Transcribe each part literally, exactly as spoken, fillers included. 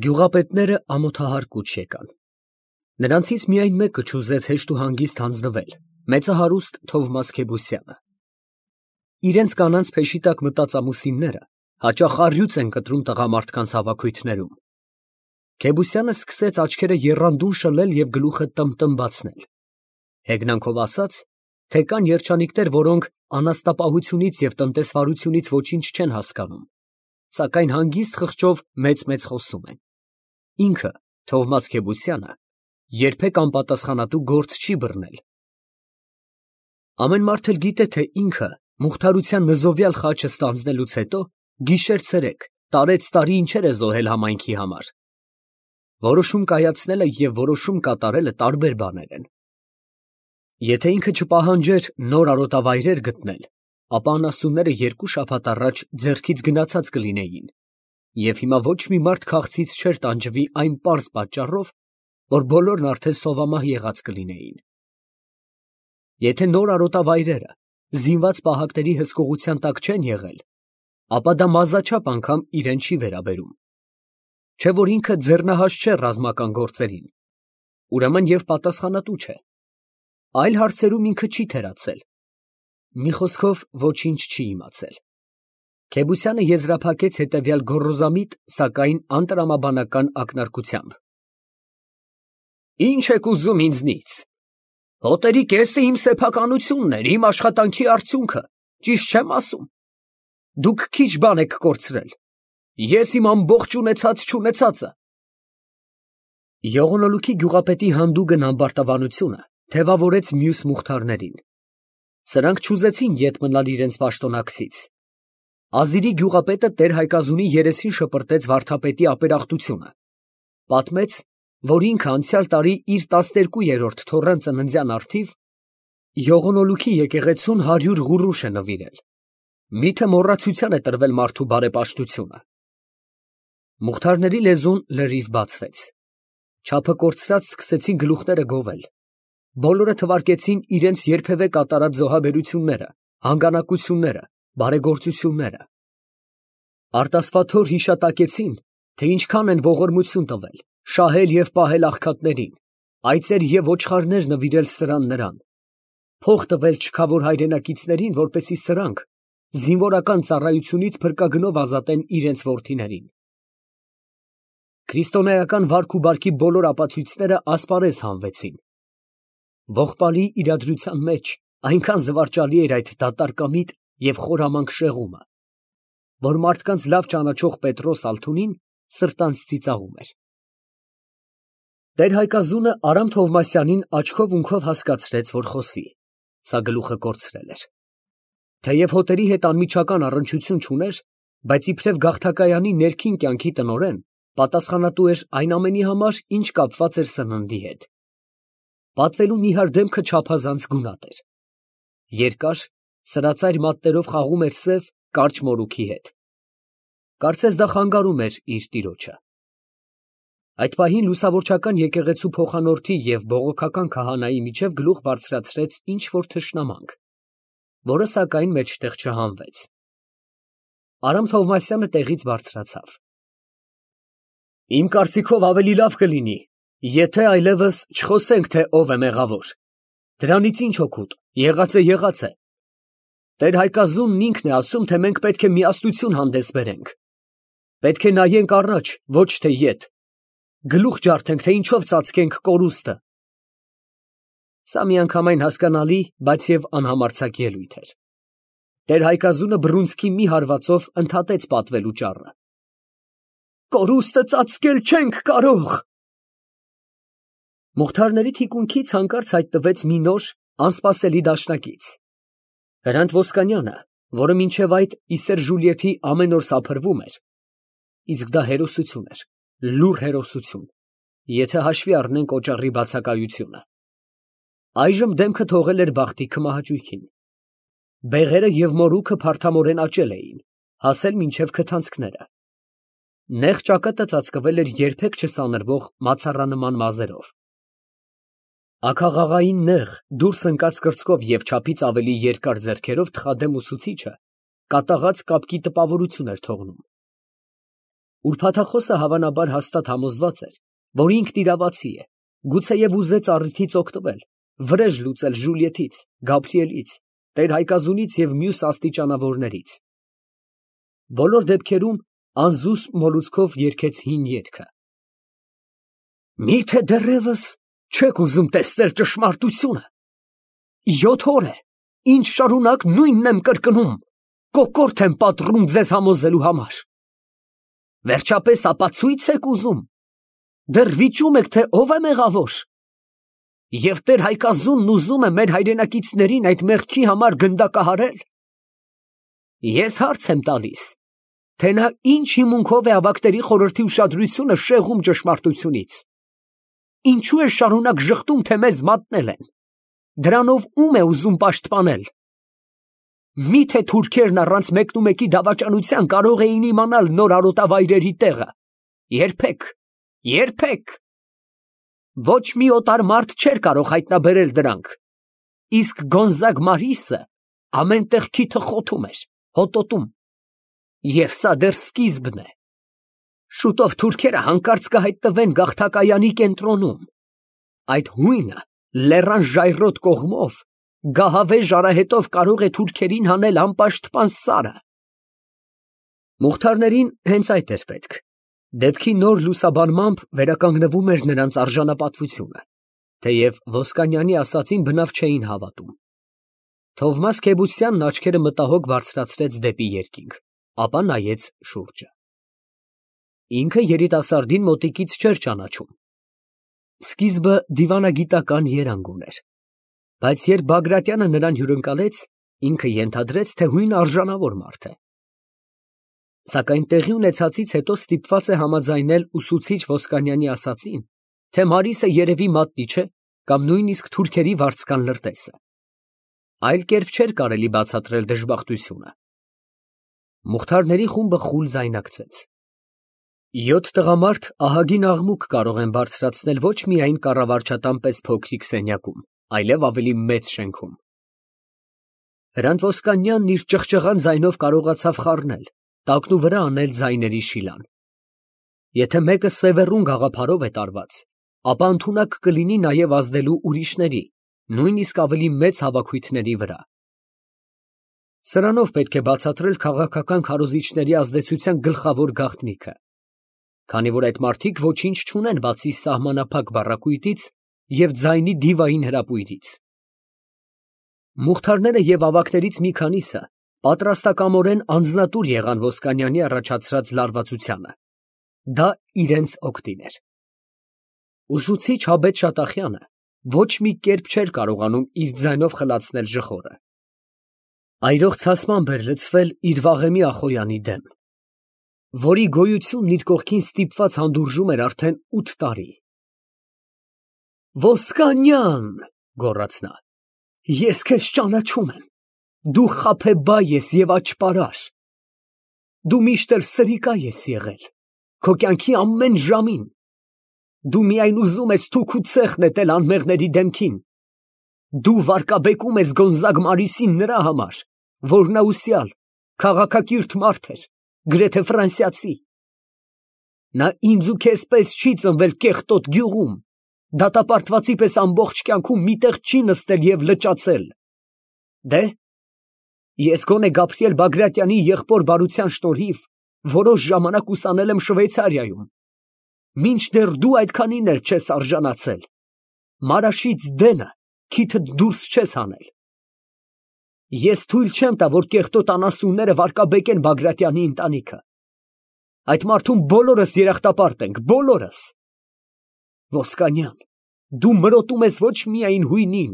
Գյուղապետները ամոթահար կուչ եկան։ Նրանցից միայն մեկը չուզեց հեշտ ու հանգիստ հանձնվել, մեծահարուստ Թովմաս Քեբոսյանը։ Իրենց կանանց փեշի տակ մտած ամուսինները հաճախ առյուծ են կտրում տղամարդկանց հավաքույթներում։ Քեբոսյանը սկսեց աչքերը եռանդուն շլել և գլուխը տմտմբացնել, հեգնանքով ասաց, թե կան երջանիկներ, որոնք անաստապահությունից և տնտեսվարությունից ոչինչ չեն հասկանում, սակայն հանգիստ խղճով մեծ֊մեծ խոսում են։ Ինքը, Թովմաս Քեբոսյանը, երբեք անպատասխանատու գործ չի բռնել։ Ամեն մարդ էլ գիտե, թե ինքը մուխթարության նզովյալ խաչը ստանձնելուց հետո գիշեր֊ցերեկ, տարեց֊տարի ինչեր է զոհել համայնքի համար։ Որոշում կայացնելը և որոշում կատարելը տարբեր բաներ են։ Եթե ինքը չպահանջեր նոր արոտավայրեր գտնել, ապա անասունները երկու շաբաթ առաջ ձեռքից գնացած կլինեին, և հիմա ոչ մի մարդ քաղցից չէր տանջվի այն պարզ պատճառով, որ բոլորն արդեն սովամահ եղած կլինեին։ Եթե նոր արոտավայրերը զինված պահակների հսկողության տակ չեն եղել, ապա դա մազաչափ անգամ իրեն չի վերաբերում, չէ՞ որ ինքը ձեռնահաս չէ ռազմական գործերին, ուրեմն և պատասխանատու չէ։ Այլ հարցերում ինքը չի թերացել, մի խոսքով ոչինչ չի իմացել։ Քեբոսյանը եզրափակեց հետևյալ գոռոզամիտ, սակայն անտրամաբանական ակնարկությամբ. «Ի՞նչ եք ուզում ինձնից. հոտերի կեսը իմ սեփականությունն էր, իմ աշխատանքի արդյունքը, ճիշտ չեմ ասում։ Դուք քիչ բան եք կորցրել, ես իմ ամբողջ ունեցած֊չունեցածը»։ Եղունորուքի գյուղապետի հանդուգն ամբարտավանությունը թևավորեց մյուս մուխթարներին։ Սրանք չուզեցին ետ մնալ իրենց պաշտոնակցից։ Ազիրի գյուղապետը տեր֊Հայկազունի երեսին շպրտեց վարդապետի ապերախտությունը, պատմեց, որ ինքը անցյալ տարի իր տասներկուերորդ թոռան ծննդյան առթիվ Եղունորուքի եկեղեցուն հարյուր ղուրուշ է նվիրել, միթե մոռացության է տրվել մարդու բարեպաշտությունը։ Մուխթարների լեզուն լրիվ բացվեց, չափը կորցրած սկսեցին գլուխները գովել, բոլորը թվարկեցին իրենց երբևէ կատարած զոհաբերությունները, հանգանակությունները, բարեգործությունները։ Արտասվաթոր հիշատակեցին, թե ինչքան են ողորմություն տվել, շահել և պահել աղքատներին, այծեր և ոչխարներ նվիրել սրան նրան, փող տվել չքավոր հայրենակիցներին, որպեսզի սրանք զինվորական ծառայությունից փրկագնով ազատեն իրենց որդիներին։ Քրիստոնեական վարք ու բարքի բոլոր ապացույցները ասպարեզ հանվեցին։ Ողբալի իրադրության մեջ այնքան զվարճալի էր այդ դատարկամիտ և խորամանկ շեղումը, որ մարդկանց լավ ճանաչող Պետրոս Ալթունին սրտանց ծիծաղում էր։ Տեր֊Հայկազունը Արամ Թովմասյանին աչքով֊ունքով հասկացրեց, որ խոսի, սա գլուխը կորցրել էր։ Թեև հոտերի հետ անմիջական առնչություն չուներ, բայց իբրև գաղթակայանի ներքին կյանքի տնօրեն պատասխանատու էր այն ամենի համար, ինչ կապված էր սննդի հետ։ Պատվելու նիհար դեմքը չափազանց գունատ էր։ Երկար, սրածայր մատներով խաղում էր սև, կարճ մորուքի հետ։ Կարծես դա խանգարում էր իր տիրոջը։ Այդ պահին լուսավորչական եկեղեցու փոխանորդի և բողոքական քահանայի միջև գլուխ բարձրացրեց ինչ֊որ թշնամանք, որը սակայն մեջտեղ չհանվեց։ Արամ Թովմասյանը տեղից բարձրացավ։ Իմ կարծիքով ավելի լավ կլինի, եթե այլևս չխոսենք, թե ով է մեղավոր։ Դրանից ինչ օգուտ, եղածը եղած է։ Տեր֊Հայկազունն ինքն է ասում, թե մենք պետք է միասնություն հանդես բերենք։ Պետք է նայենք առաջ, ոչ թե ետ, գլուխ ջարդենք, թե ինչով ծածկենք կորուստը։ Սա միանգամայն հասկանալի, բայց և անհամարձակ ելույթ էր։ Տեր֊Հայկազունը բռունցքի մի հարվածով ընդհատեց պատվելու ճառը։ Կորուստը ծածկել չենք կարող։ Մուխթարների թիկունքից հանկարծ հայտնվեց մի նոր, անսպասելի դաշնակից։ Հրանտ Ոսկանյանը, որը մինչև այդ ի Սեր Ժուլիեթի ամեն օր սափրվում էր, իսկ դա հերոսություն էր, լուռ հերոսություն, եթե հաշվի առնենք օճառի բացակայությունը, այժմ դեմքը թողել էր բախտի քմահաճույքին։ Բեղերը և մորուքը փարթամորեն աճել էին, հասել մինչև քթանցքները։ Նեղ ճակատը ծածկվել էր երբեք չսանրվող մացառանման մազերով։ Աքաղաղային նեղ, դուրս ընկած կրծքով և չափից ավելի երկար ձեռքերով թխադեմ ուսուցիչը կատաղած կապկի տպավորություն էր թողնում։ Ուրբաթախոսը հավանաբար հաստատ համոզված էր, որ ինքն իրավացի է, գուցեև ուզեց առիթից օգտվել, վրեժ լուծել Ժուլիետից, Գաբրիելից, տեր֊Հայկազունից և մյուս աստիճանավորներից։ Բոլոր դեպքերում անզուսպ մոլուցքով երգեց հին երգը. Մի՞թե դեռևս չեք ուզում տեսնել ճշմարտությունը։ Յոթ օր է, ինչ շարունակ նույնն եմ կրկնում, կոկորդ եմ պատռում ձեզ համոզելու համար։ Վերջապես ապացույց եք ուզում, դեռ վիճում եք, թե ով է մեղավոր։ Եվ տեր֊Հայկազունն ուզում է մեր հայրենակիցներին այդ մեղքի համար գնդակահարել։ Ես հարց եմ տալիս, թե նա ինչ հիմունքով է ավակների խորհրդի ուշադրությունը շեղում ճշմարտությունից։ Ինչու է շարունակ ժխտում, թե մեզ մատնել են։ Դրանով ում է ուզում պաշտպանել։ Միթե թուրքերն առանց մեկնումեկի դավաճանության կարող էին իմանալ նոր արոտավայրերի տեղը։ Երբեք, երբեք։ Ոչ մի օտար մարդ չէր կարող հայտնաբերել դրանք։ Իսկ Գոնզագ Մարիսը ամեն տեղ քիթը խոթում էր, հոտոտում։ Եվ սա դեռ սկիզբն է։ Շուտով թուրքերը հանկարծ կհայտնվեն գաղթակայանի կենտրոնում։ Այդ հույնը լեռան ժայռոտ կողմով գահավեժ արահետով կարող է թուրքերին հանել անպաշտպան սարը։ Մուղթարներին հենց այդ էր պետք։ Դեպքի նոր լուսաբանմամբ վերականգնվում էր նրանց արժանապատվությունը, թեև Ոսկանյանի ասածին բնավ չէին հավատում։ Թովմաս Քեբուսյանն աչքերը մտահոգ բարձրացրեց դեպի երկինք, ապա նայեց շուրջը։ Ինքը երիտասարդին մոտիկից չէր ճանաչում։ Սկիզբը դիվանագիտական երանգ ուներ, բայց երբ Բագրատյանը նրան հյուրընկալեց, ինքը ենթադրեց, թե հույն արժանավոր մարդ է։ Սակայն տեղի ունեցածից հետո ստիպված է համաձայնել ուսուցիչ Ոսկանյանի ասածին, թե Մարիսը երևի մատնի չէ կամ նույնիսկ թուրքերի վարձկան լրտես է։ Այլ կերպ չէր կարելի բացատրել դժբախտությունը։ Մուղթարների խումբը խուլ ձայնարկեց։ Յոթ տղամարդ ահագին աղմուկ կարող են բարձրացնել ոչ միայն կառավարչատան պես փոքրիկ սենյակում, այլև ավելի մեծ շենքում։ Հրանտ Ոսկանյանն իր ճղճղան ձայնով կարողացավ խառնել, տակնու վրա անել ձայների շիլան։ Եթե մեկը սևեռուն գաղափարով է տարված, ապա ընդունակ կլինի նաև ազդելու ուրիշների, նույնիսկ ավելի մեծ հավաքույթների վրա։ Սրանով պետք է բացատրել քաղաքական քարոզիչների ազդեցության գլխավոր գաղտնիքը, քանի որ այդ մարդիկ ոչինչ չունեն բացի սահմանափակ բառակույտից և ձայնի դիվային հրապույրից։ Մուղթարները և ավագներից մի քանիսը պատրաստակամորեն անձնատուր եղան Ոսկանյանի առաջացրած լարվածությանը։ Դա իրենց օգտին էր։ Ուսուցիչ Հաբետ Շատախյանը ոչ մի կերպ չէր կարողանում իր ձայնով խլացնել ժխորը։ Այրող ցասմամբ էր լցվել իր վաղեմի Ախոյանի դեմ, որի գոյությունն իր կողքին ստիպված հանդուրժում էր արդեն ութ տարի։ Ոսկանյան, գոռաց նա, ես քեզ ճանաչում եմ, դու խաբեբայ ես և աճպարար, դու միշտ էլ սրիկա ես եղել, քո կյանքի ամեն ժամին, դու միայն ուզում ես թուք ու ցեխ նետել անմեղների դեմքին, դու վարկաբեկում ես Գոնզագ Մարիսին նրա համար, որ նա ուսյալ, քաղաքակիրթ մարդ էր, գրեթե ֆրանսիացի։ Նա ինձ ու քեզ պես չի ծնվել կեղտոտ գյուղում, դատապարտվածի պես ամբողջ կյանքում մի տեղ չի նստել և լճացել։ Դե, ես գոնե Գաբրիել Բագրատյանի եղբոր բարության շնորհիվ որոշ ժամանակ ուսանել եմ Շվեյցարիայում, մինչդեռ դու այդքանին էլ չես արժանացել, Մարաշից դենը քիթդ դուրս չես հանել։ Ես թույլ չեմ տա, որ կեղտոտ անասունները վարկաբեկեն Բագրատյանի ընտանիքը։ Այդ մարդուն բոլորս երախտապարտ ենք, բոլորս։ Ոսկանյան, դու մրոտում ես ոչ միայն հույնին,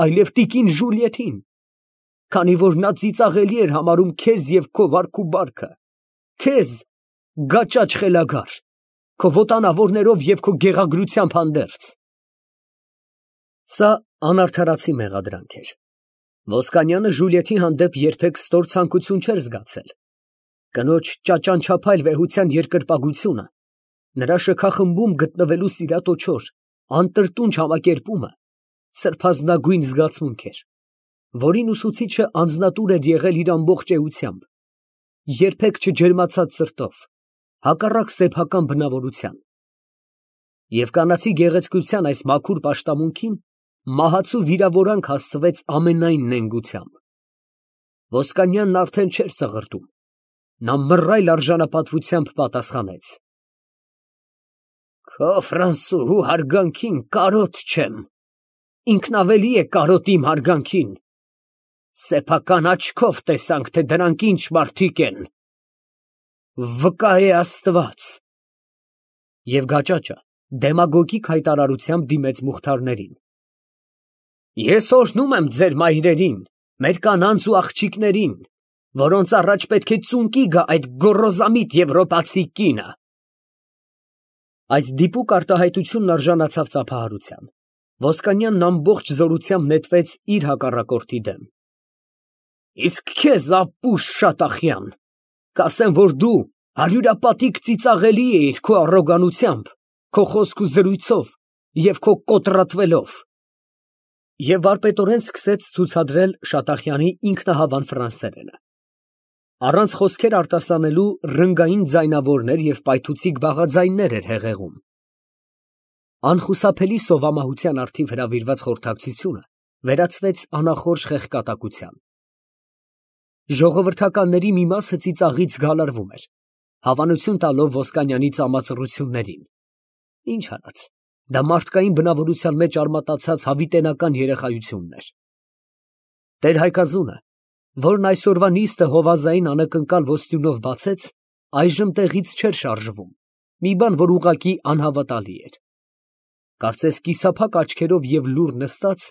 այլև տիկին Ժուլիետին, քանի որ նա ծիծաղելի էր համարում քեզ և քո վարք ու բարքը, քեզ գաճաճ խելագար, քո ոտանավորներով և քո գեղագրությամբ հանդերձ։ Սա անարդարացի մեղադրանք էր։ Ոսկանյանը Ժուլիետի հանդեպ երբեք ստոր ցանկություն չէր զգացել։ Կնոջ ճաճանչափայլ վեհության երկրպագությունը, նրա շքախմբում գտնվելու սիրատոչոր, անտրտունջ համակերպումը սրբազնագույն զգացմունք էր, որին ուսուցիչը անձնատուր էր եղել իր ամբողջ էությամբ, երբեք չջերմացած սրտով, հակառակ սեփական բնավորության։ Եվ կանացի գեղեցկության այս մաքուր պաշտամունքին մահացու վիրավորանք հասցվեց ամենայն նենգությամբ։ Ոսկանյանն արդեն չէր ծղրտում, նա մռայլ արժանապատվությամբ պատասխանեց. Քո ֆրանսուհու հարգանքին կարոտ չեմ, ինքն ավելի է կարոտ իմ հարգանքին, սեփական աչքով տեսանք, թե դրանք ինչ մարդիկ են, վկա է Աստված։ Եվ գաճաճը դեմագոգիկ հայտարարությամբ դիմեց Մուխթարներին. Ես օրհնում եմ ձեր մայրերին, մեր կանանց ու աղջիկներին, որոնց առաջ պետք է ծունկի գա այդ գոռոզամիտ եվրոպացի կինը։ Այս դիպուկ արտահայտությունն արժանացավ ծափահարության։ Ոսկանյանն ամբողջ զորությամբ նետվեց իր հակառակորդի դեմ։ Իսկ քեզ, ապուշ Շատախյան, կասեմ, որ դու հարյուրապատիկ ծիծաղելի էիր քո առոգանությամբ, քո խոսք ու զրույցով և քո կոտրատվելով։ Եվ վարպետորեն սկսեց ցուցադրել Շատախյանի ինքնահավան ֆրանսերենը։ Առանց խոսքեր արտասանելու ռնգային ձայնավորներ և պայթուցիկ բաղաձայններ էր հեղեղում։ Անխուսափելի սովամահության առթիվ հրավիրված խորհրդակցությունը վերածվեց անախորժ խեղկատակության։ Ժողովրդականների մի մասը ծիծաղից գալարվում էր, հավանություն տալով Ոսկանյանի ծամածռություններին։ Ինչ արած, դա մարդկային բնավորության մեջ արմատացած հավիտենական երեխայությունն էր։ Տեր-Հայկազունը, որն այսօրվա նիստը հովազային անակնկալ ոստյունով բացեց, այժմ տեղից չէր շարժվում, մի բան, որ ուղղակի անհավատալի էր։ Կարծես կիսափակ աչքերով և լուռ նստած,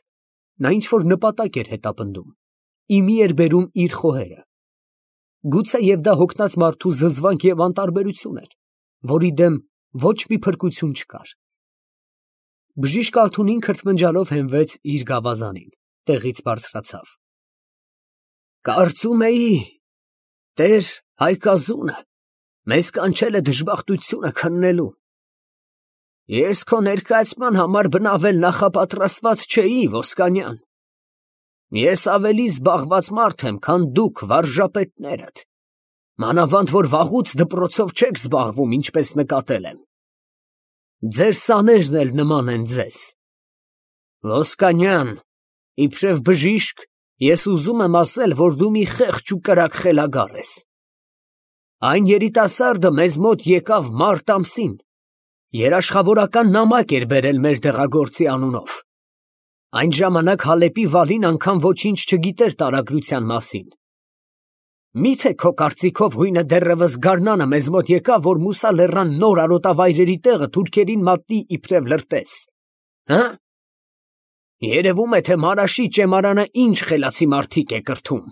նա ինչ-որ նպատակ էր հետապնդում, իմի էր բերում իր խոհերը։ Գուցեև դա հոգնած մարդու զզվանք և անտարբերություն էր, որի դեմ ոչ մի փրկություն չկար։ Բժիշկ Ալթունին քրթմնջալով հենվեց իր գավազանին, տեղից բարձրացավ։ Կարծում էի, Տեր Հայկազունը մեզ կանչել է դժբախտությունը քննելու։ Ես քո ներկայացման համար բնավել նախապատրաստված չէի, Ոսկանյան։ Ես ավելի զբաղված մարդ եմ, քան դուք վարժապետներդ, մանավանդ որ վաղուց դպրոցով չեք զբաղվում, ինչպես նկատել եմ։ Ձեր սաներն էլ նման են ձեզ։ Ոսկանյան, իբրև բժիշկ, ես ուզում եմ ասել, որ դու մի խեղճ ու կրակ խելագար ես։ Այն երիտասարդը մեզ մոտ եկավ մարտ ամսին, երաշխավորական նամակ էր բերել մեր դեղագործի անունով։ Այն ժամանակ Հալեպի վալին անգամ ոչինչ չգիտեր տարագրության մասին։ Միթե քո կարծիքով հույնը դեռևս գարնանը մեզ մոտ եկավ, որ Մուսա լեռան նոր արոտավայրերի տեղը թուրքերին մատնի իբրև լրտես, հը՞։ Երևում է, թե Մարաշի ճեմարանը ինչ խելացի մարդիկ է կրթում։